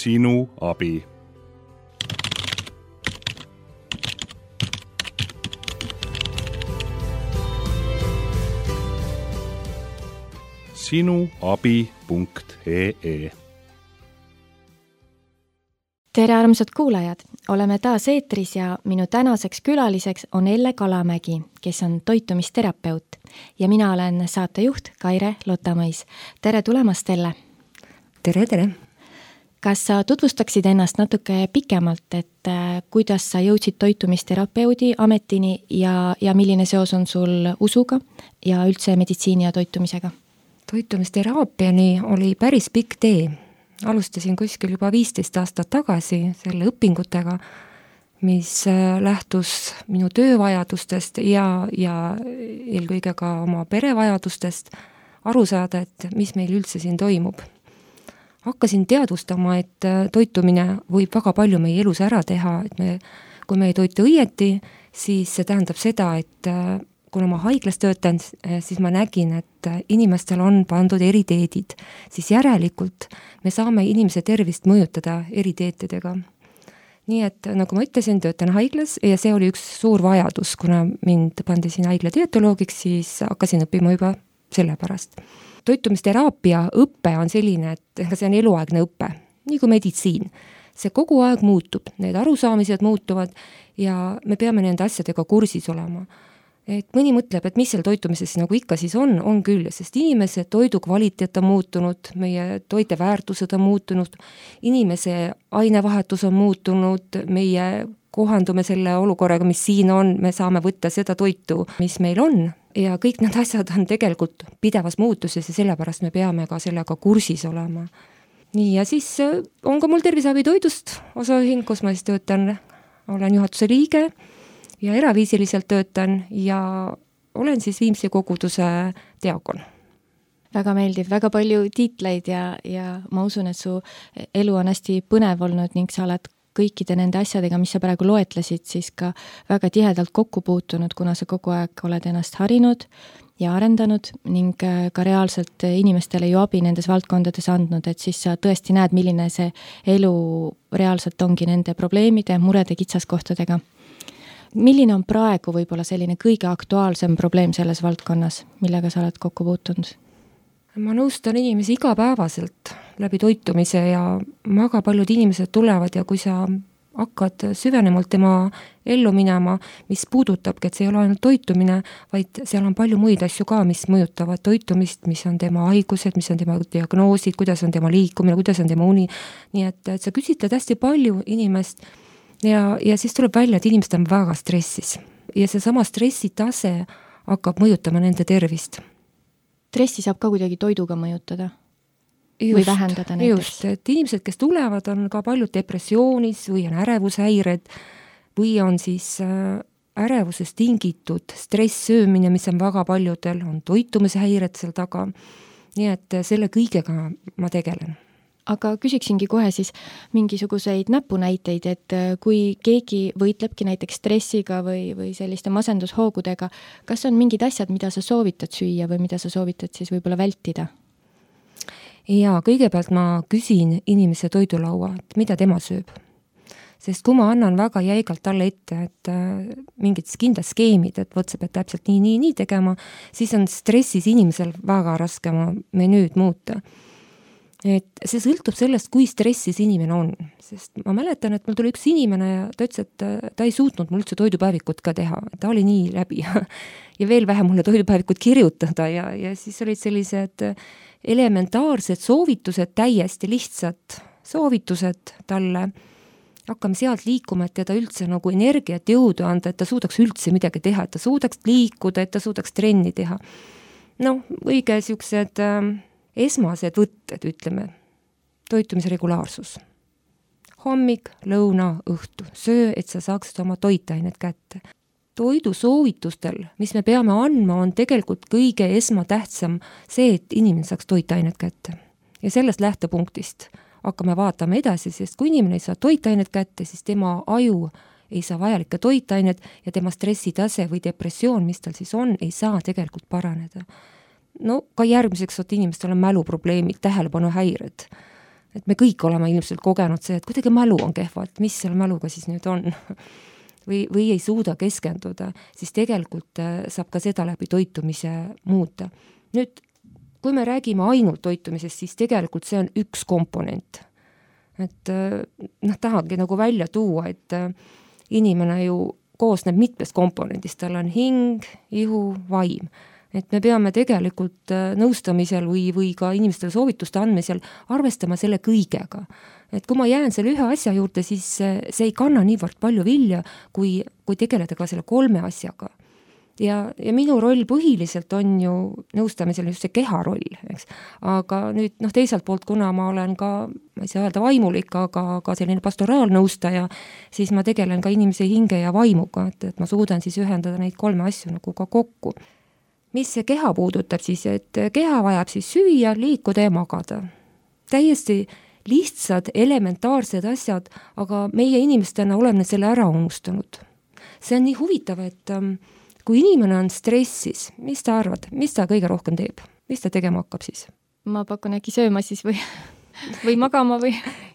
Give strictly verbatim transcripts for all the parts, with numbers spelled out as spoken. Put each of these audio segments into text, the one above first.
sinu abi. sinuabi punkt ee. Tere armsad kuulajad, oleme taas eetris ja minu tänaseks külaliseks on Elle Kalamägi, kes on toitumisterapeut ja mina olen saatejuht Kaire Lotamõis. Tere tulemast, Elle! Tere, tere! Kas sa tutvustaksid ennast natuke pikemalt, et kuidas sa jõudsid toitumisterapeudi ametini ja, ja milline seos on sul usuga ja üldse meditsiini ja toitumisega? Toitumisteraapiani oli päris pikk tee. Alustasin kuskil juba viisteist aastat tagasi selle õpingutega, mis lähtus minu töövajadustest ja, ja eelkõige ka oma perevajadustest aru saada, et mis meil üldse siin toimub. Hakkasin teadvustama, et toitumine võib väga palju meie elus ära teha, et me, kui me ei toitu õieti, siis see tähendab seda, et kuna ma haiglas töötan, siis ma nägin, et inimestel on pandud eriteedid, siis järelikult me saame inimese tervist mõjutada eriteetidega. Nii et nagu ma ütlesin, töötan haiglas ja see oli üks suur vajadus, kuna mind pandi siin haigla dietoloogiks, siis hakkasin õppima juba selle pärast. Toitumisteraapia õppe on selline, et see on eluaegne õppe, nii kui meditsiin. See kogu aeg muutub, need arusaamised muutuvad ja me peame nende asjadega kursis olema. Et mõni mõtleb, et mis seal toitumises nagu ikka siis on, on küll, sest inimese toidu kvaliteet on muutunud, meie toite väärtused on muutunud, inimese ainevahetus on muutunud, meie kohandume selle olukorraga, mis siin on, me saame võtta seda toitu, mis meil on ja kõik need asjad on tegelikult pidevas muutuses ja sellepärast me peame ka sellega kursis olema. Nii, ja siis on ka mul Terviseabi toidust osaühing, kus ma siis töötan, olen juhatuse liige ja eraviisiliselt töötan ja olen siis Viimsi koguduse diakon. Väga meeldiv, väga palju tiitleid ja, ja ma usun, et su elu on hästi põnev olnud ning sa oled kõikide nende asjadega, mis sa praegu loetlesid, siis ka väga tihedalt kokku puutunud, kuna sa kogu aeg oled ennast harinud ja arendanud ning ka reaalselt inimestele ju abi nendes valdkondades andnud, et siis sa tõesti näed, milline see elu reaalselt ongi nende probleemide, murede, kitsaskohtadega. Milline on praegu võib-olla selline kõige aktuaalsem probleem selles valdkonnas, millega sa oled kokku puutunud? Ma nõustan inimesi igapäevaselt läbi toitumise ja väga paljud inimesed tulevad ja kui sa hakkad süvenemalt tema ellu minema, mis puudutabki, et see ei ole ainult toitumine, vaid seal on palju muid asju ka, mis mõjutavad toitumist, mis on tema haigused, mis on tema diagnoosid, kuidas on tema liikumine, kuidas on tema uni. Nii et, et sa küsitled hästi palju inimest ja, ja siis tuleb välja, et inimesed on väga stressis ja see sama stressitase hakkab mõjutama nende tervist. Stressi saab ka kuidagi toiduga mõjutada? Just, või vähendada näiteks? Just, et inimesed, kes tulevad, on ka paljud depressioonis või on ärevushäired või on siis ärevusest tingitud stresssöömine, mis on väga paljudel, on toitumishäired seal taga. Nii et selle kõigega ma tegelen. Aga küsiksingi kohe siis mingisuguseid näpunäiteid, et kui keegi võitlebki näiteks stressiga või, või selliste masendushoogudega, kas on mingid asjad, mida sa soovitad süüa või mida sa soovitad siis võib-olla vältida? Ja kõigepealt ma küsin inimese toidulaua, et mida tema sööb. Sest kui ma annan väga jäigalt talle ette, et mingid kindlad skeemid, et võt, sa pead täpselt nii, nii, nii tegema, siis on stressis inimesel väga raske oma menüüd muuta. Et see sõltub sellest, kui stressis inimene on. Sest ma mäletan, et mul tuli üks inimene ja ta ütles, et ta ei suutnud mul üldse toidupäevikut ka teha. Ta oli nii läbi ja veel vähem mulle toidupäevikut kirjutada ja, ja siis olid sellised elementaarsed soovitused, täiesti lihtsad soovitused talle. Hakkame sealt liikuma, et teda üldse nagu energiat jõudu anda, et ta suudaks üldse midagi teha, et ta suudaks liikuda, et ta suudaks trenni teha. No, õige siuksed esmased võtted, ütleme, toitumise regulaarsus. Hommik, lõuna, õhtu, söö, et sa saaksid oma toitained kätte. Toidu soovitustel, mis me peame andma, on tegelikult kõige esmatähtsam see, et inimene saaks toitained kätte. Ja sellest lähtepunktist hakkame vaatama edasi, sest kui inimene ei saa toitained kätte, siis tema aju ei saa vajalikke toitained ja tema stressitase või depressioon, mis tal siis on, ei saa tegelikult paraneda. No ka järgmiseks, et inimestel on mäluprobleemid, tähelepanu häired. et me kõik oleme ilmselt kogenud see, et kuidagi mälu on kehva, et mis seal mäluga siis nüüd on või, või ei suuda keskenduda, siis tegelikult saab ka seda läbi toitumise muuta. Nüüd, kui me räägime ainult toitumisest, siis tegelikult see on üks komponent. Et noh, tahangi nagu välja tuua, et inimene ju koosneb mitmest komponendist, tal on hing, ihu, vaim. Et me peame tegelikult nõustamisel või, või ka inimestele soovituste andmisel arvestama selle kõigega. Et kui ma jään selle ühe asja juurde, siis see ei kanna niivõrd palju vilja, kui, kui tegeleda ka selle kolme asjaga. Ja, ja minu roll põhiliselt on ju nõustamisel just see keha roll, eks. Aga nüüd noh, teiselt poolt, kuna ma olen ka, ma ei saa öelda vaimulik, aga ka selline pastoraalnõustaja, siis ma tegelen ka inimese hinge ja vaimuga, et, et ma suudan siis ühendada neid kolme asju nagu ka kokku. Mis see keha puudutab siis, et keha vajab siis süüa, liikuda ja magada. Täiesti lihtsad, elementaarsed asjad, aga meie inimestena oleme selle ära unustanud. See on nii huvitav, et kui inimene on stressis, mis ta arvad, mis ta kõige rohkem teeb? Mis ta tegema hakkab siis? Ma pakun äkki sööma siis või, või magama või?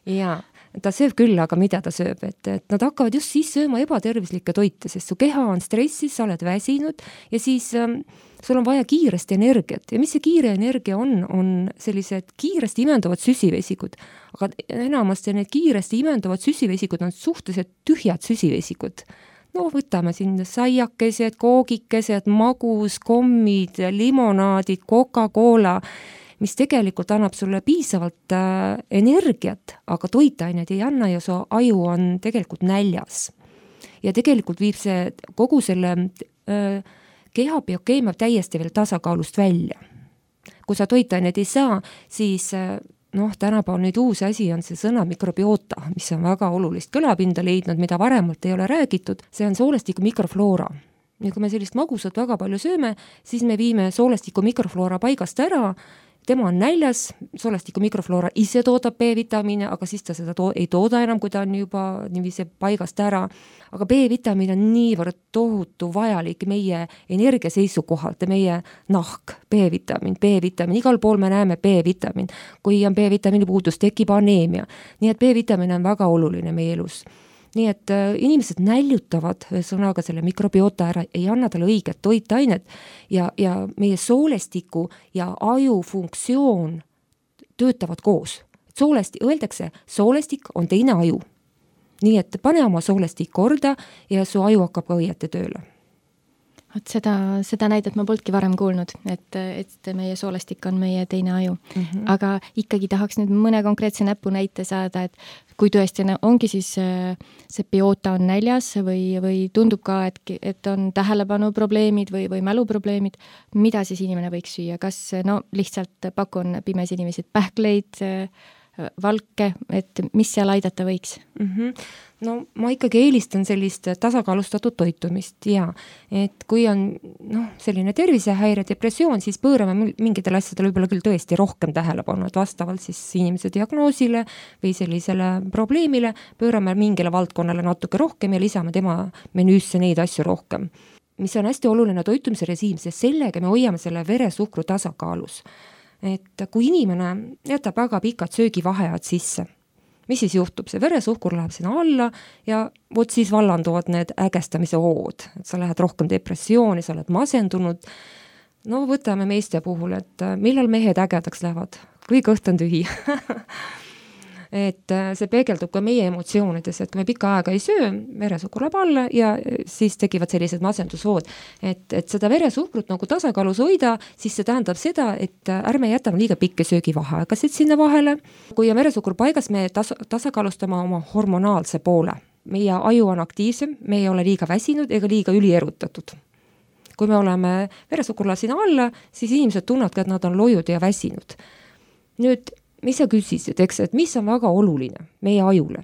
Jaa, ta sööb küll, aga mida ta sööb? Et, et nad hakkavad just siis sööma ebatervislikke toite, sest su keha on stressis, sa oled väsinud ja siis ähm, sul on vaja kiiresti energiat. Ja mis see kiire energia on? On sellised kiiresti imenduvad süsivesikud. Aga enamasti need kiiresti imenduvad süsivesikud on suhteliselt tühjad süsivesikud. No võtame siin saiakesed, koogikesed, magus, kommid, limonaadid, Coca-Cola, mis tegelikult annab sulle piisavalt äh, energiat, aga toitaineid ei anna ja su aju on tegelikult näljas. Ja tegelikult viib see kogu selle äh, keha biokeemia täiesti veel tasakaalust välja. Kui sa toitaineid ei saa, siis äh, noh, tänapäeval nüüd uus asi on see sõna mikrobiota, mis on väga olulist kõlapinda leidnud, mida varemalt ei ole räägitud, see on soolestiku mikrofloora. Ja kui me sellist magusat väga palju sööme, siis me viime soolestiku mikrofloora paigast ära, tema on näljas, soolestiku mikrofloora ise toodab B-vitamiine, aga siis ta seda to- ei tooda enam, kui ta on juba niiviisi paigast ära. Aga B-vitamiin on niivõrd tohutu vajalik meie energia seisukohalt ja meie nahk, B-vitamiin, B-vitamiin, igal pool me näeme B-vitamiin. Kui on B-vitamiini puudus, tekib aneemia. Nii et B-vitamiin on väga oluline meie elus. Nii et äh, inimesed näljutavad sõnaga selle mikrobiota ära, ei anna talle õiget toitainet ja, ja meie soolestiku ja aju funktsioon töötavad koos. Soolesti, öeldakse, soolestik on teine aju. Nii et pane oma soolestik korda ja su aju hakkab ka õieti tööle. Et seda, seda näidet ma polnudki varem kuulnud, et, et meie soolestik on meie teine aju. Mm-hmm. Aga ikkagi tahaks nüüd mõne konkreetse näpu näite saada, et kui tõesti ongi siis see biota on näljas või, või tundub ka, et, et on tähelepanu probleemid või, või mäluprobleemid, mida siis inimene võiks süüa? Kas no lihtsalt pakun pimes inimesed pähkleid, valke, et mis seal aidata võiks? Mm-hmm. No ma ikkagi eelistan sellist tasakaalustatud toitumist ja et kui on noh, selline tervisehäire, depressioon, siis pöörame mingitele asjadele võib-olla küll tõesti rohkem tähelepanu, et vastavalt siis inimese diagnoosile või sellisele probleemile pöörame mingile valdkonnale natuke rohkem ja lisame tema menüüsse neid asju rohkem. Mis on hästi oluline toitumise režiim, sest sellega me hoiame selle veresuhkru tasakaalus. Et kui inimene jätab väga pikad söögivaheajad sisse, mis siis juhtub? See veresuhkur läheb sinna alla ja vot siis vallanduvad need ägestamise hood. Et sa lähed rohkem depressiooni, sa oled masendunud. No võtame meeste puhul, et millal mehed ägedaks lähevad? Kui kõht on tühi. Et see peegeldub ka meie emotsioonides, et kui me pika aega ei söö, veresuhkur läheb alla ja siis tekivad sellised masendushood. Et, et seda veresuhkrut nagu tasakaalus hoida, siis see tähendab seda, et ärme jätame liiga pikki söögivaheaegasid sinna vahele. Kui on veresuhkur paigas, me tas- tasakaalustame oma hormonaalse poole. Meie aju on aktiivsem, me ei ole liiga väsinud ega liiga ülierutatud. Kui me oleme veresuhkurla sinna alla, siis inimesed tunnevad ka, et nad on lojud ja väsinud. Nüüd mis sa küsisid, eks, et mis on väga oluline meie ajule?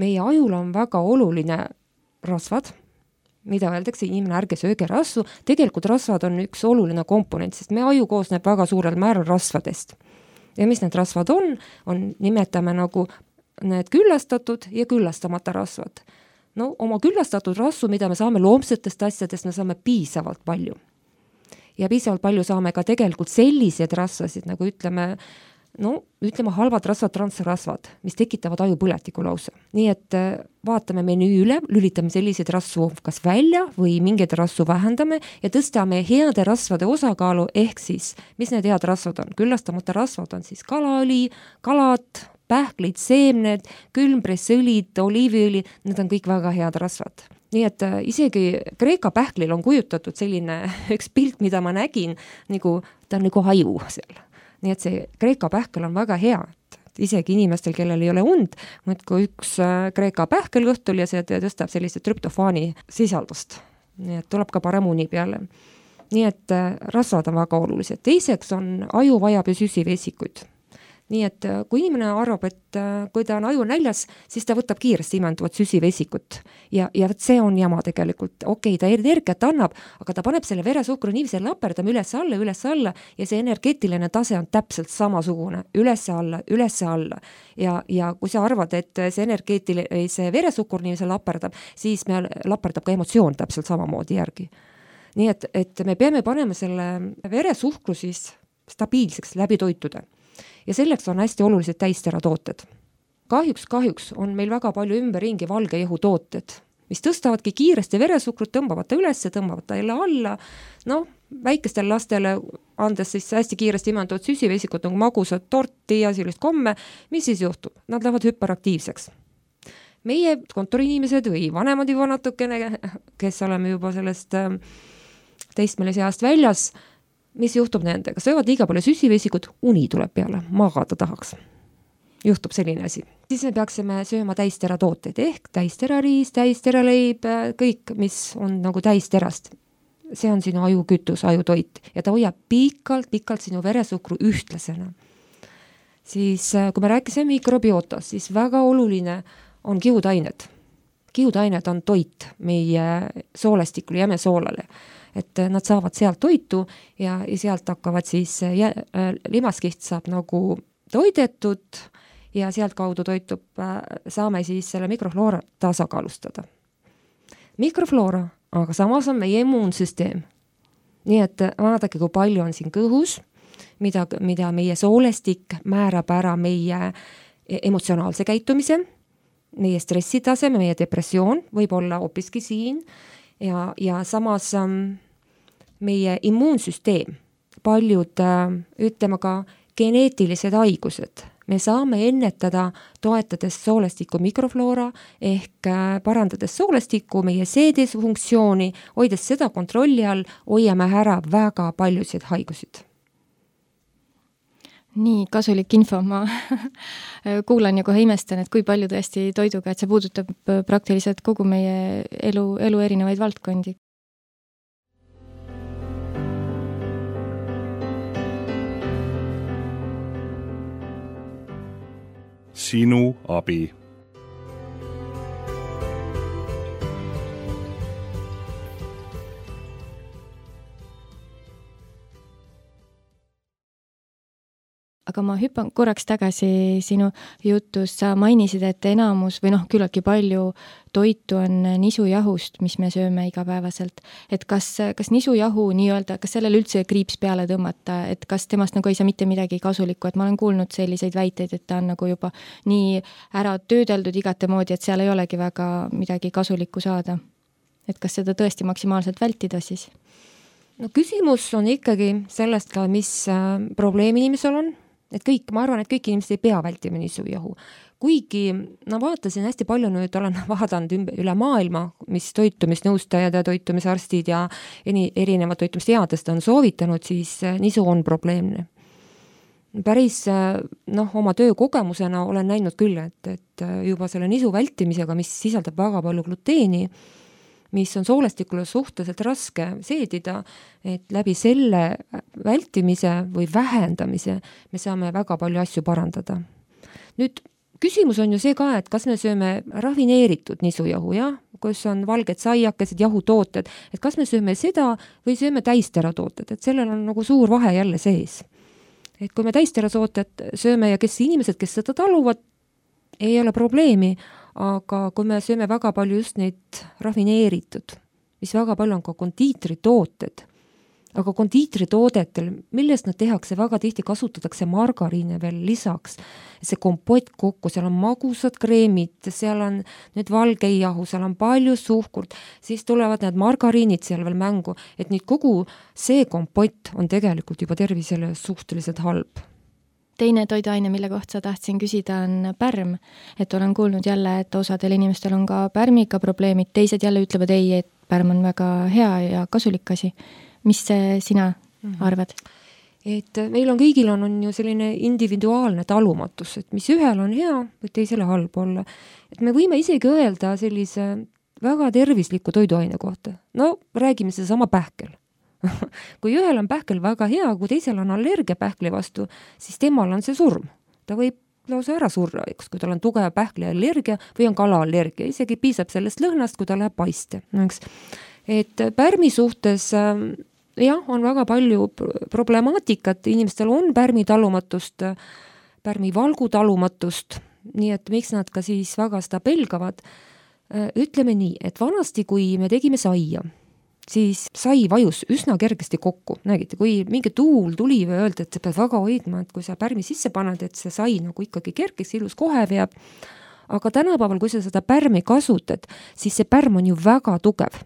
Meie ajule on väga oluline rasvad, mida öeldakse, inimene ärge sööge rasvu. Tegelikult rasvad on üks oluline komponent, sest meie aju koosneb väga suurel määral rasvadest. Ja mis need rasvad on? On nimetame nagu need küllastatud ja küllastamata rasvad. No oma küllastatud rasvu, mida me saame loomsetest asjadest, me saame piisavalt palju. Ja piisavalt palju saame ka tegelikult sellised rasvasid, nagu ütleme, no ütleme halvad rasvad, transrasvad, mis tekitavad ajupõletiku lausa. Nii et vaatame menüü üle, lülitame selliseid rasvu kas välja või mingeid rasvu vähendame ja tõstame heade rasvade osakaalu, ehk siis, mis need head rasvad on? Küllastamata rasvad on siis kalaõli, kalad, pähklid, seemned, külmpressõlid, oliiviõli, need on kõik väga head rasvad. Nii et isegi Kreeka pähklil on kujutatud selline üks pilt, mida ma nägin, nagu, ta on nagu haju seal. Nii et see Kreeka pähkel on väga hea, et isegi inimestel, kellel ei ole und, mõt kui üks Kreeka pähkel õhtul ja see tõstab sellise trüptofaani sisaldust. Nii et tuleb ka parem uni peale. Nii et rasvad on väga olulised. Teiseks on aju vajab ja süsivesikuid. Nii et kui inimene arvab, et kui ta on aju näljas, siis ta võtab kiiresti imenduvat süsivesikut. Ja, ja see on jama tegelikult. Okei, ta energiat annab, aga ta paneb selle veresuhkru niivise laperdama üles alla, üles alla ja see energeetiline tase on täpselt samasugune. Üles alla, üles alla. Ja, ja kui sa arvad, et see energeetiline, see veresuhkur niivise laperdab, siis me laperdab ka emotsioon täpselt samamoodi järgi. Nii et, et me peame panema selle veresuhkru siis stabiilseks läbi toitude. Ja selleks on hästi olulised täisteratooted. Kahjuks, kahjuks on meil väga palju ümberringi valge jehu tooted, mis tõstavadki kiiresti veresuhkrut, tõmbavad ta üles, tõmbavad ta jälle alla. No, väikestel lastele andes siis hästi kiiresti imenduvad süsivesikut nagu magusad torti ja sellist komme, mis siis juhtub? Nad lähevad hüperaktiivseks. Meie kontoriinimesed või vanemad juba natukene, kes oleme juba sellest teistmelise ajast väljas, mis juhtub nendega? Söövad liiga palju süsivesikut, uni tuleb peale, magada tahaks. Juhtub selline asi. Siis me peaksime sööma täisteratooteid ehk täisterariis, täisteraleib, kõik, mis on nagu täisterast. See on sinu ajukütus, ajutoit ja ta hoiab pikalt, pikalt sinu veresuhkru ühtlasena. Siis kui me rääkisime mikrobiootast, siis väga oluline on kihudained. Kihudained on toit meie soolestikule, jämesoolale. Et nad saavad sealt toitu ja, ja sealt hakkavad siis jä, limaskiht saab nagu toidetud ja sealt kaudu toitub, saame siis selle mikrofloora tasakaalustada. Mikrofloora, aga samas on meie immuunsüsteem. Nii et vaadake, kui palju on siin kõhus, mida, mida meie soolestik määrab ära meie emotsionaalse käitumise, meie stressitaseme, meie depressioon võib olla hoopiski siin. Ja, ja samas ähm, meie immuunsüsteem, paljud äh, ütleme ka geneetilised haigused. Me saame ennetada toetades soolestiku mikrofloora ehk äh, parandades soolestiku meie seedes funktsiooni, hoides seda kontrolli all, hoiame ära väga paljusid haigusid. Nii kasulik info, ma kuulan ja kohe imestan, et kui palju tõesti toiduga, et see puudutab praktiliselt kogu meie elu, elu erinevaid valdkondi. Sinu abi. Aga ma hüppan korraks tagasi sinu jutus, sa mainisid, et enamus või noh, küllaltki palju toitu on nisujahust, mis me sööme igapäevaselt. Et kas, kas nisujahu nii-öelda, kas sellele üldse kriips peale tõmmata, et kas temast nagu ei saa mitte midagi kasulikku, et ma olen kuulnud selliseid väiteid, et ta on nagu juba nii ära töödeldud igate moodi, et seal ei olegi väga midagi kasulikku saada. Et kas seda tõesti maksimaalselt vältida siis? No küsimus on ikkagi sellest ka, mis probleem inimesel on. Et kõik, ma arvan, et kõik inimesed ei pea vältima nisujahu. Kuigi, no vaatasin hästi palju nüüd, olen vaadanud üle maailma, mis toitumisnõustajad ja toitumisarstid ja erinevad toitumisteadest on soovitanud, siis nisu on probleemne. Päris, noh, oma töö kogemusena olen näinud küll, et, et juba selle nisu vältimisega, mis sisaldab väga palju gluteeni, mis on soolestikule suhteliselt raske seedida, et läbi selle vältimise või vähendamise me saame väga palju asju parandada. Nüüd küsimus on ju see ka, et kas me sööme rafineeritud nisujahu, jah? Kus on valged saiakesed, jahutooted, et kas me sööme seda või sööme täisteratooted, et sellel on nagu suur vahe jälle sees. Et kui me täisteratooted sööme ja kes inimesed, kes seda taluvad, ei ole probleemi, aga kui me sööme väga palju just neid rafineeritud, mis väga palju on ka kondiitritooted, aga kondiitritoodetel, millest nad tehakse, väga tihti kasutatakse margariine veel lisaks. See kompott kokku, seal on magusad kreemid, seal on nüüd valgeijahu, seal on palju suhkurt, siis tulevad need margariinid seal veel mängu, et nüüd kogu see kompott on tegelikult juba tervisele suhteliselt halb. Teine toiduaine, mille kohta tahtsin küsida, on pärm. Et olen kuulnud jälle, et osadel inimestel on ka pärmiga probleemid, teised jälle ütlevad ei, et pärm on väga hea ja kasulik asi. Mis sina arvad? Et meil on kõigil on, on ju selline individuaalne talumatus, et mis ühel on hea, või teisele halb olla. Et me võime isegi öelda sellise väga tervisliku toiduaine kohta. No räägime seda sama pähkel. Kui ühel on pähkel väga hea, kui teisel on allergia pähkli vastu, siis temal on see surm. Ta võib lausa ära surra, eks, kui tal on tugev pähkli allergia või on kalaallergia. Isegi piisab sellest lõhnast, kui ta läheb paiste. Eks. Et pärmi suhtes jah, on väga palju problemaatikat, inimestel on pärmi talumatust, pärmi valgu talumatust, nii et miks nad ka siis väga seda pelgavad. Ütleme nii, et vanasti, kui me tegime saia, siis sai vajus üsna kergesti kokku. Nägite, kui mingi tuul tuli või öelda, et sa pead väga hoidma, et kui sa pärmi sisse paned, et see sai nagu ikkagi kergeks, ilus kohe veab. Aga tänapäeval, kui sa seda pärmi kasutad, siis see pärm on ju väga tugev.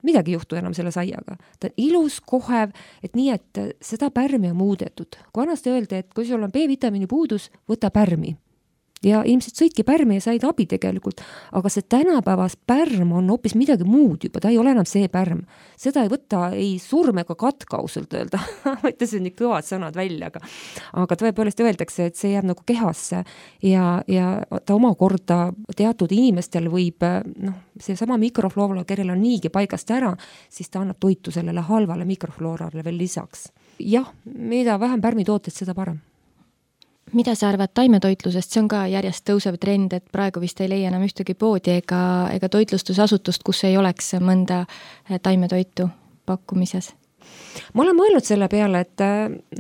Midagi ei juhtu enam selle saiaga. Ta on ilus, kohev, et nii, et seda pärmi on muudetud. Kui vanasti öeldi, et kui sul on B-vitamiini puudus, võta pärmi. Ja ilmselt sõidki pärmi ja said abi tegelikult, aga see tänapäevas pärm on hoopis midagi muud juba, ta ei ole enam see pärm. Seda ei võta ei surm ega katka ausalt öelda, võtta see nii kõvad sõnad välja, aga, aga tõepoolest öeldakse, et see jääb nagu kehasse ja, ja ta omakorda teatud inimestel võib, noh, see sama mikrofloora, kellel on niigi paigast ära, siis ta annab toitu sellele halvale mikrofloorale veel lisaks. Jah, mida vähem pärmitooted, seda parem. Mida sa arvad taimetoitlusest? See on ka järjest tõusev trend, et praegu vist ei leia enam ühtegi poodi ega, ega toitlustusasutust, kus ei oleks mõnda taimetoitu pakkumises. Ma olen mõelnud selle peale, et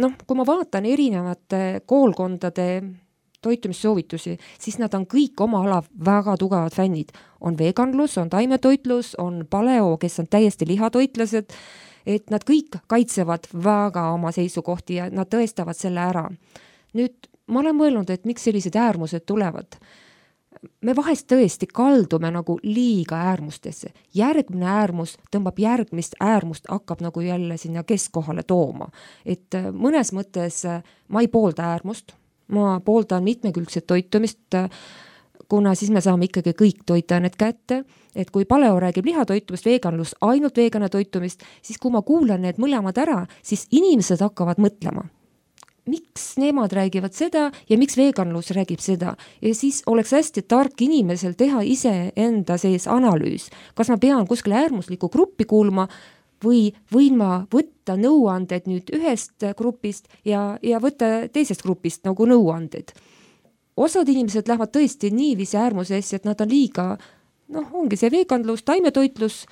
noh, kui ma vaatan erinevate koolkondade toitumissoovitusi, siis nad on kõik oma ala väga tugevad fännid. On veganlus, on taimetoitlus, on paleo, kes on täiesti lihatoitlased, et nad kõik kaitsevad väga oma seisukohti ja nad tõestavad selle ära. Nüüd ma olen mõelnud, et miks sellised äärmused tulevad. Me vahest tõesti kaldume nagu liiga äärmustesse. Järgmine äärmus tõmbab järgmist äärmust, hakkab nagu jälle sinna keskkohale tooma. Et mõnes mõttes ma ei poolda äärmust, ma pooldan mitmekülgset toitumist, kuna siis me saame ikkagi kõik toitained kätte, et kui paleo räägib lihatoitumist, veganlus ainult vegane toitumist, siis kui ma kuulan need mõlemad ära, siis inimesed hakkavad mõtlema. Miks nemad räägivad seda ja miks veganlus räägib seda. Ja siis oleks hästi tark inimesel teha ise enda sees analüüs. Kas ma pean kuskile äärmuslikku gruppi kuulma või võin ma võtta nõuanded nüüd ühest grupist ja, ja võtta teisest grupist nagu nõuanded. Osad inimesed lähevad tõesti niiviisi äärmusesse, et nad on liiga, noh, ongi see veganlus, taimetoitlus,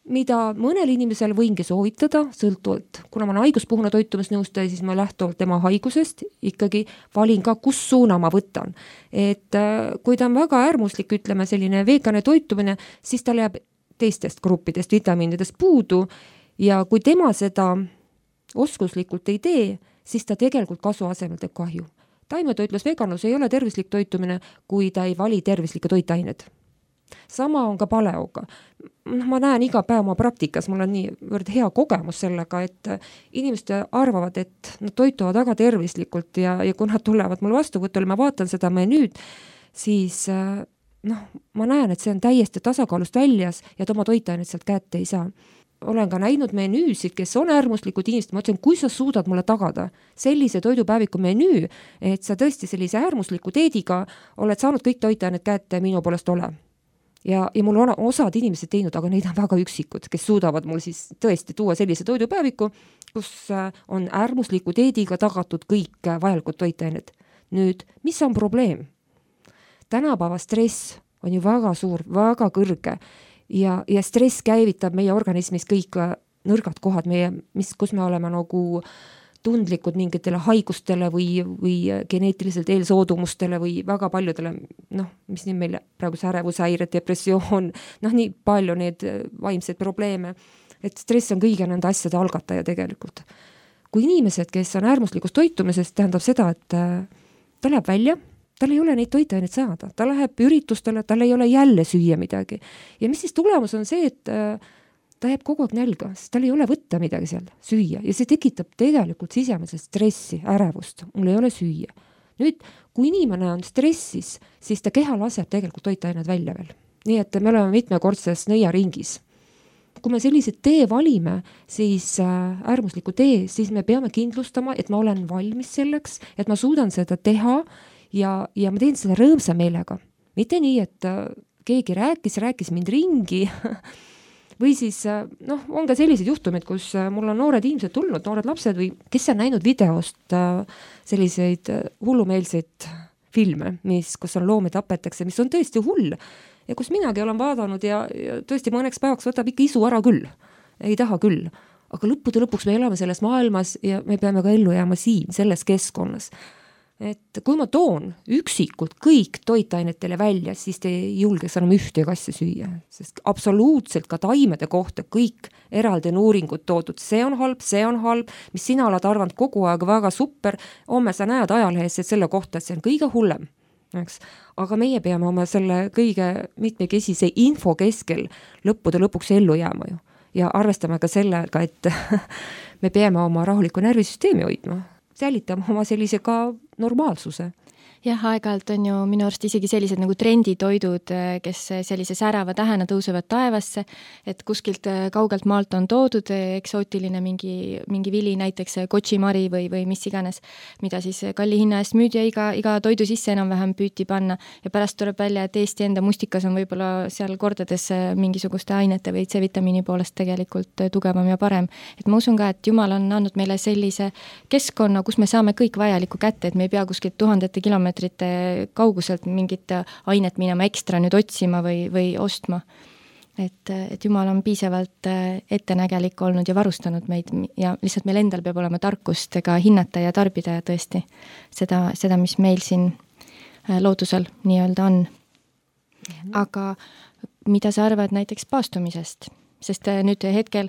mida mõnel inimesel võingi soovitada, sõltuvalt. Kuna ma olen haiguspuhuna toitumisnõustaja, siis ma lähtuvalt tema haigusest ikkagi valin ka, kus suuna ma võtan. Et kui ta on väga äärmuslik, ütleme selline vegane toitumine, siis tal jääb teistest gruppidest, vitamiinidest puudu ja kui tema seda oskuslikult ei tee, siis ta tegelikult kasu asemel teeb kahju. Taimetoitlus, veganlus ei ole tervislik toitumine, kui ta ei vali tervislikke toitained. Sama on ka paleoga. Ma näen iga päev oma praktikas, mul on nii hea kogemus sellega, et inimesed arvavad, et nad toituvad väga tervislikult ja, ja kui nad tulevad mul vastuvõtule, ma vaatan seda menüüd, siis noh, ma näen, et see on täiesti tasakaalust väljas ja oma toitained sealt kätte ei saa. Olen ka näinud menüüsid, kes on äärmuslikud inimesed, ma ütlen, kui sa suudad mulle tagada sellise toidupäeviku menüü, et sa tõesti sellise äärmusliku teediga oled saanud kõik toitained kätte minu poolest ole. Ja, ja mul on osad inimesed teinud, aga neid on väga üksikud, kes suudavad mul siis tõesti tuua sellise toidupäeviku, kus on äärmusliku teediga tagatud kõik vajalikud toitained. Nüüd, mis on probleem? Tänapäeva stress on ju väga suur, väga kõrge ja, ja stress käivitab meie organismis kõik nõrgad kohad, meie, mis, kus me oleme nagu tundlikud mingitele haigustele või, või geneetiliselt eelsoodumustele või väga paljudele, noh, mis nii meil praegu ärevushäired, depressioon, noh, nii palju need vaimseid probleeme. et stress on kõige nende asjade algataja tegelikult. Kui inimesed, kes on äärmuslikus toitumises, tähendab seda, et ta läheb välja, tal ei ole neid toitaineid saada, ta läheb üritustele, tal ei ole jälle süüa midagi. Ja mis siis tulemus on see, et ta jääb kogu aeg nälga, sest tal ei ole võtta midagi seal süüa ja see tekitab tegelikult sisemese stressi, ärevust, mul ei ole süüa. Nüüd, kui inimene on stressis, siis ta keha laseb tegelikult toitained välja veel. Nii et me oleme mitmekordses nõiaringis. Kui me sellised tee valime, siis äärmusliku tee, siis me peame kindlustama, et ma olen valmis selleks, et ma suudan seda teha ja, ja ma teen seda rõõmsa meelega. Mitte nii, et keegi rääkis, rääkis mind ringi või siis noh, on ka sellised juhtumid, kus mul on noored inimesed tulnud, noored lapsed või kes on näinud videost selliseid hullumeelseid filme, mis, kus on loomi tapetakse, mis on tõesti hull ja kus minagi olen vaadanud ja, ja tõesti mõneks päevaks võtab ikka isu ära küll, ei taha küll, aga lõppude lõpuks me elame selles maailmas ja me peame ka ellu jääma siin, selles keskkonnas. Et kui ma toon üksikult kõik toitainetele välja, siis te ei julgeks enam ühtegi asja süüa, sest absoluutselt ka taimede kohta kõik eraldi on uuringud toodud, see on halb, see on halb, mis sina oled arvanud kogu aeg väga super, homme sa näed ajalehes selle kohta, et see on kõige hullem, eks? Aga meie peame oma selle kõige mitmekesise info keskel lõppude lõpuks ellu jääma ju ja arvestame ka sellega, et me peame oma rahuliku närvisüsteemi hoidma, säilitama oma sellise ka normaalsuse. Jah, aeg-ajalt on ju minu arust isegi sellised nagu trenditoidud, kes sellise särava tähena tõusevad taevasse, et kuskilt kaugelt maalt on toodud eksootiline mingi, mingi vili, näiteks kotšimari või, või mis iganes, mida siis kalli hinna eest müüdi ja iga, iga toidu sisse enam-vähem püüti panna ja pärast tuleb välja, et Eesti enda mustikas on võib-olla seal kordades mingisuguste ainete või C-vitamiini poolest tegelikult tugevam ja parem. Et ma usun ka, et Jumal on andnud meile sellise keskkonna, kus me saame kõik vajalikku kätte, et me ei pea kuskilt tuhandete kilomeetrite kauguselt mingit ainet minema ekstra nüüd otsima või, või ostma. Et, et Jumal on piisavalt ettenägelik olnud ja varustanud meid ja lihtsalt meil endal peab olema tarkust ka hinnata ja tarbida ja tõesti seda, seda, mis meil siin loodusel nii-öelda on. Aga mida sa arvad näiteks paastumisest? Sest nüüd hetkel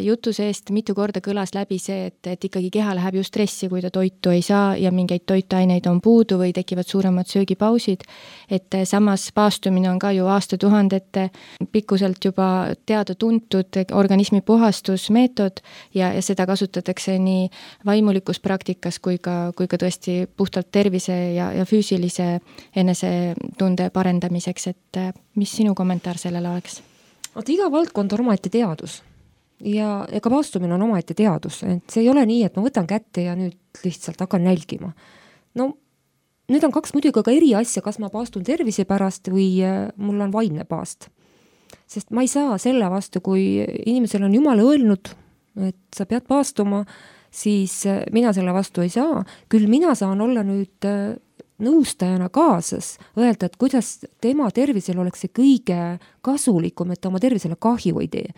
jutu seest mitu korda kõlas läbi see, et, et ikkagi keha läheb ju stressi, kui ta toitu ei saa ja mingeid toitaineid on puudu või tekivad suuremad söögipausid. Et samas paastumine on ka ju aastatuhandete pikkuselt juba teada-tuntud organismi puhastusmeetod ja, ja seda kasutatakse nii vaimulikus praktikas kui ka, kui ka tõesti puhtalt tervise ja, ja füüsilise enesetunde parendamiseks. Et mis sinu kommentaar sellele oleks? Oot, iga valdkond on omaette teadus ja ega paastumine on omaette teadus, et see ei ole nii, et ma võtan kätte ja nüüd lihtsalt hakkan nälgima. No, nüüd on kaks muidugi ka eri asja, kas ma paastun tervise pärast või mul on vaimne paast. Sest ma ei saa selle vastu, kui inimesel on Jumal öelnud, et sa pead paastuma, siis mina selle vastu ei saa. Küll mina saan olla nüüd nõustajana kaasas, öelda, et kuidas tema tervisel oleks see kõige kasulikum, et ta oma tervisele kahju ei tee.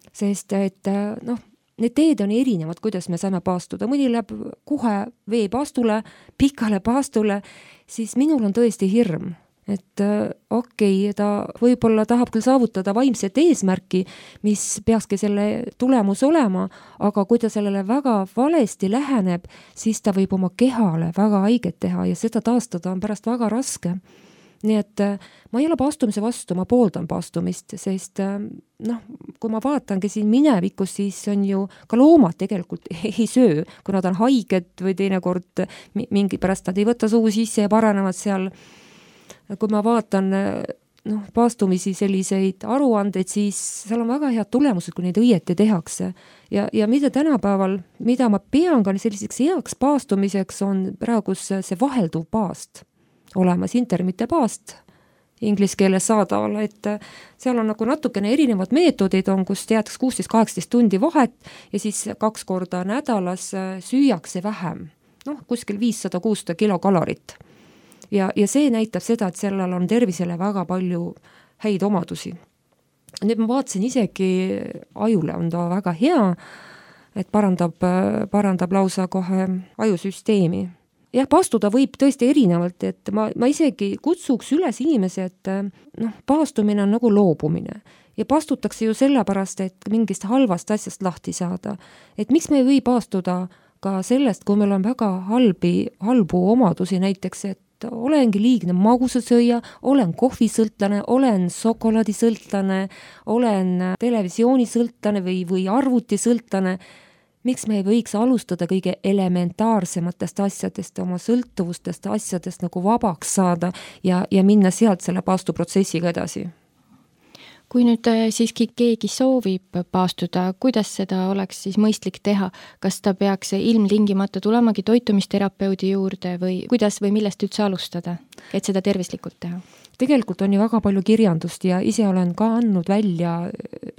Sest et noh, need teed on erinevad, kuidas me saame paastuda. Mõni läheb kohe veepaastule, pikale paastule, siis minul on tõesti hirm. Et okei, okay, ta võib-olla tahab küll saavutada vaimset eesmärki, mis peakski selle tulemus olema, aga kui ta sellele väga valesti läheneb, siis ta võib oma kehale väga haiget teha ja seda taastada on pärast väga raske. Nii et ma ei ole paastumise vastu, ma pooldan paastumist, sest noh, kui ma vaatangi siin minevikus, siis on ju ka loomad tegelikult ei söö, kui nad on haiged või teinekord mingi pärast nad ei võta suu sisse ja paranevad seal. Kui ma vaatan noh, paastumisi selliseid aruandeid, siis seal on väga head tulemused, kui neid õieti tehakse. Ja, ja mida tänapäeval, mida ma pean ka selliseks heaks paastumiseks, on praegu see vahelduv paast olemas, intermitte paast inglise keeles saadaval, et seal on nagu natukene erinevad meetodid on, kus teatakse kuusteist kaheksateist tundi vahet ja siis kaks korda nädalas süüakse vähem, noh, kuskil viissada kuussada kilokalorit. Ja, ja see näitab seda, et sellel on tervisele väga palju häid omadusi. Nüüd ma vaatasin isegi ajule on ta väga hea, et parandab, parandab lausa kohe ajusüsteemi. jah, paastuda võib tõesti erinevalt, et ma, ma isegi kutsuks üles inimese, et noh, paastumine on nagu loobumine ja paastutakse ju sellepärast, et mingist halvast asjast lahti saada. Et miks me ei või paastuda ka sellest, kui meil on väga halbi, halbu omadusi näiteks, et olengi liigne magusasööja, olen kohvisõltlane, olen šokolaadisõltlane, olen televisioonisõltlane või, või arvutisõltlane. Miks me ei võiks alustada kõige elementaarsematest asjadest, oma sõltuvustest asjadest nagu vabaks saada ja, ja minna sealt selle paastuprotsessiga edasi? Kui nüüd siiski keegi soovib paastuda, kuidas seda oleks siis mõistlik teha? Kas ta peaks ilmtingimata tulemagi toitumisterapeudi juurde või kuidas või millest üldse alustada, et seda tervislikult teha? Tegelikult on ju väga palju kirjandust ja ise olen ka andnud välja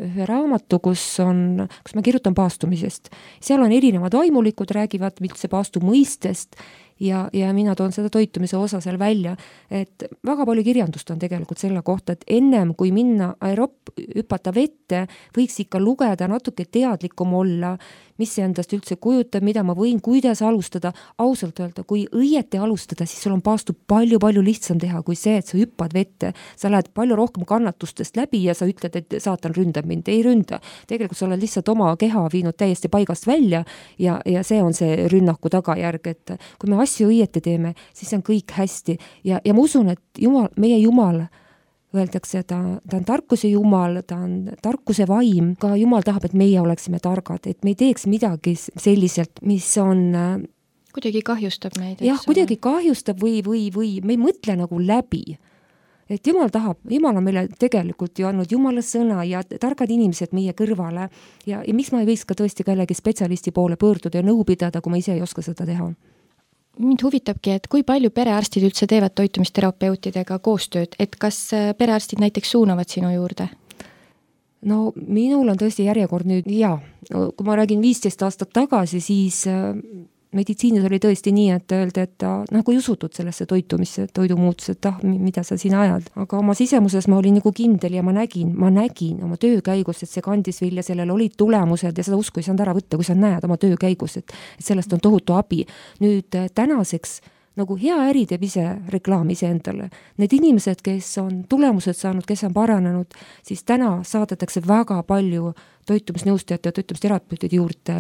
ühe raamatu, kus on, kus ma kirjutan paastumisest. Seal on erinevad vaimulikud, räägivad üldse paastu mõistest ja, ja mina toon seda toitumise osa seal välja, et väga palju kirjandust on tegelikult selle kohta, et ennem kui minna aerob hüpata vette, võiks ikka lugeda, natuke teadlikum olla, mis see endast üldse kujutab, mida ma võin, kuidas alustada, ausalt öelda, kui õieti alustada, siis sul on paastu palju-palju lihtsam teha kui see, et sa hüppad vette, sa lähed palju rohkem kannatustest läbi ja sa ütled, et saatan ründab mind, ei ründa. Tegelikult sa oled lihtsalt oma keha viinud täiesti paigast välja ja, ja see on see rünnaku tagajärg, et kui me asju õieti teeme, siis on kõik hästi ja, ja ma usun, et Jumal, meie Jumal öeldakse, ta, ta on tarkuse Jumal, ta on tarkuse vaim, ka Jumal tahab, et meie oleksime targad, et me ei teeks midagi selliselt, mis on kuidagi kahjustab meid. Jah, kuidagi kahjustab või, või, või me ei mõtle nagu läbi. Et Jumal tahab, Jumal on meile tegelikult ju andnud Jumala sõna ja targad inimesed meie kõrvale ja, ja miks ma ei võiks ka tõesti kellegi spetsialisti poole pöörduda ja nõu pidada, kui ma ise ei oska seda teha? Mind huvitabki, et kui palju perearstid üldse teevad toitumisterapeutidega koostööd, et kas perearstid näiteks suunavad sinu juurde? No minul on tõesti järjekord nüüd, jaa, kui ma räägin viisteist aastat tagasi, siis meditsiinis oli tõesti nii, et öelda, et ta nagu ei usutud sellesse toitumisse, toidumuutusse, et ah, mida sa siin ajad. Aga oma sisemuses ma olin nagu kindel ja ma nägin, ma nägin oma töö käigus, et see kandis vilja, sellel olid tulemused ja seda usku ei saanud ära võtta, kui sa näed oma töö käigus, et, et sellest on tohutu abi. Nüüd tänaseks nagu hea äri teeb ise reklaami ise endale. Need inimesed, kes on tulemused saanud, kes on paranenud, siis täna saadetakse väga palju toitumisnõustajate ja toitumisterapeutide juurde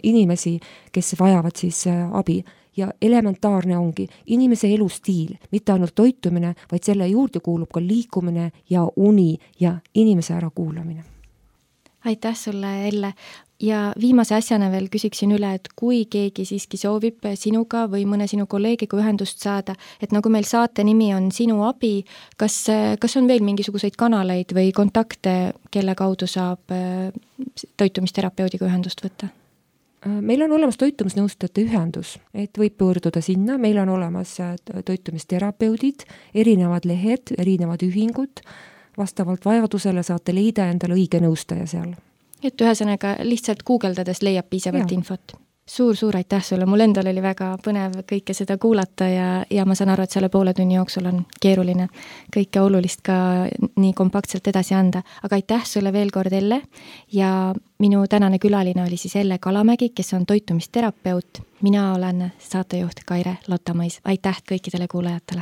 inimesi, kes vajavad siis abi. Ja elementaarne ongi inimese elustiil, mitte ainult toitumine, vaid selle juurde kuulub ka liikumine ja uni ja inimese ära kuulamine. Aitäh sulle, Elle. Ja viimase asjana veel küsiksin üle, et kui keegi siiski soovib sinuga või mõne sinu kolleegiga ühendust saada, et nagu meil saate nimi on Sinu abi, kas, kas on veel mingisuguseid kanaleid või kontakte, kelle kaudu saab toitumisterapeudiga ühendust võtta? Meil on olemas toitumisnõustajate ühendus, et võib pöörduda sinna, meil on olemas toitumisterapeudid, erinevad lehed, erinevad ühingud, vastavalt vajadusele saate leida endale õige nõustaja seal. Et ühesõnaga lihtsalt guugeldades leiab piisavalt ja. Infot. Suur-suur aitäh sulle, mul endal oli väga põnev kõike seda kuulata ja, ja ma saan aru, et selle poole tunni jooksul on keeruline kõike olulist ka nii kompaktselt edasi anda. Aga aitäh sulle veel kord, Elle, ja minu tänane külaline oli siis Elle Kalamägi, kes on toitumisterapeut. Mina olen saatejuht Kaire Lottamõis. Aitäh kõikidele kuulajatele!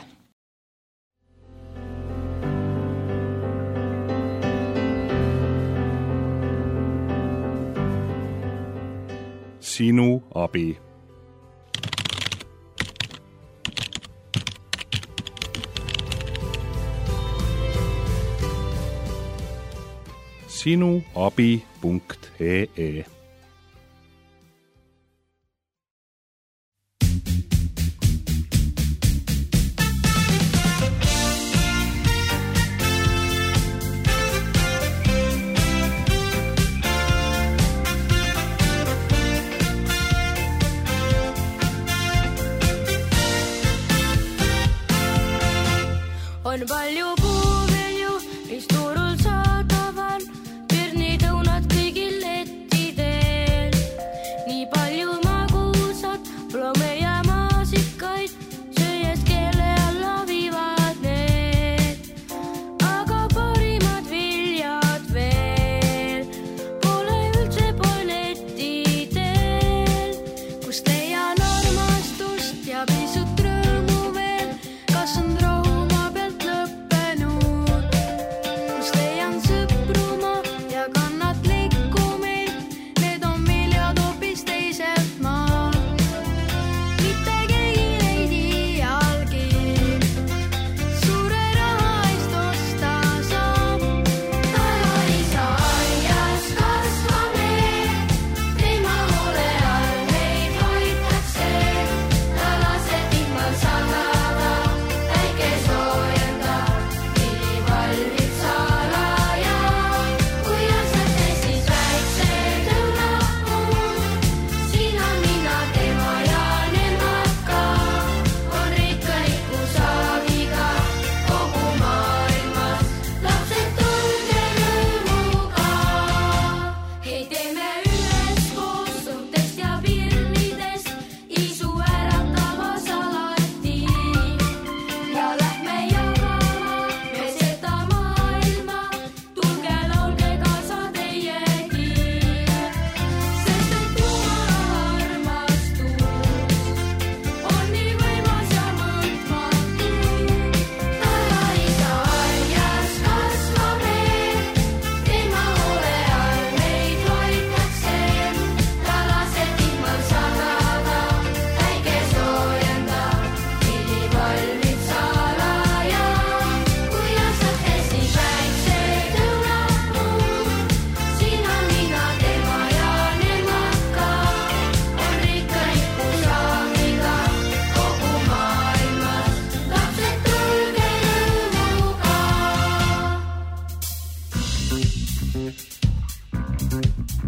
Sinu abi. sinuabi punkt ee On palju puuvilju, mis turul saadaval, pirnitõunad kõigil lettidel.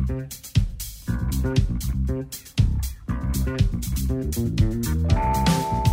Thank you.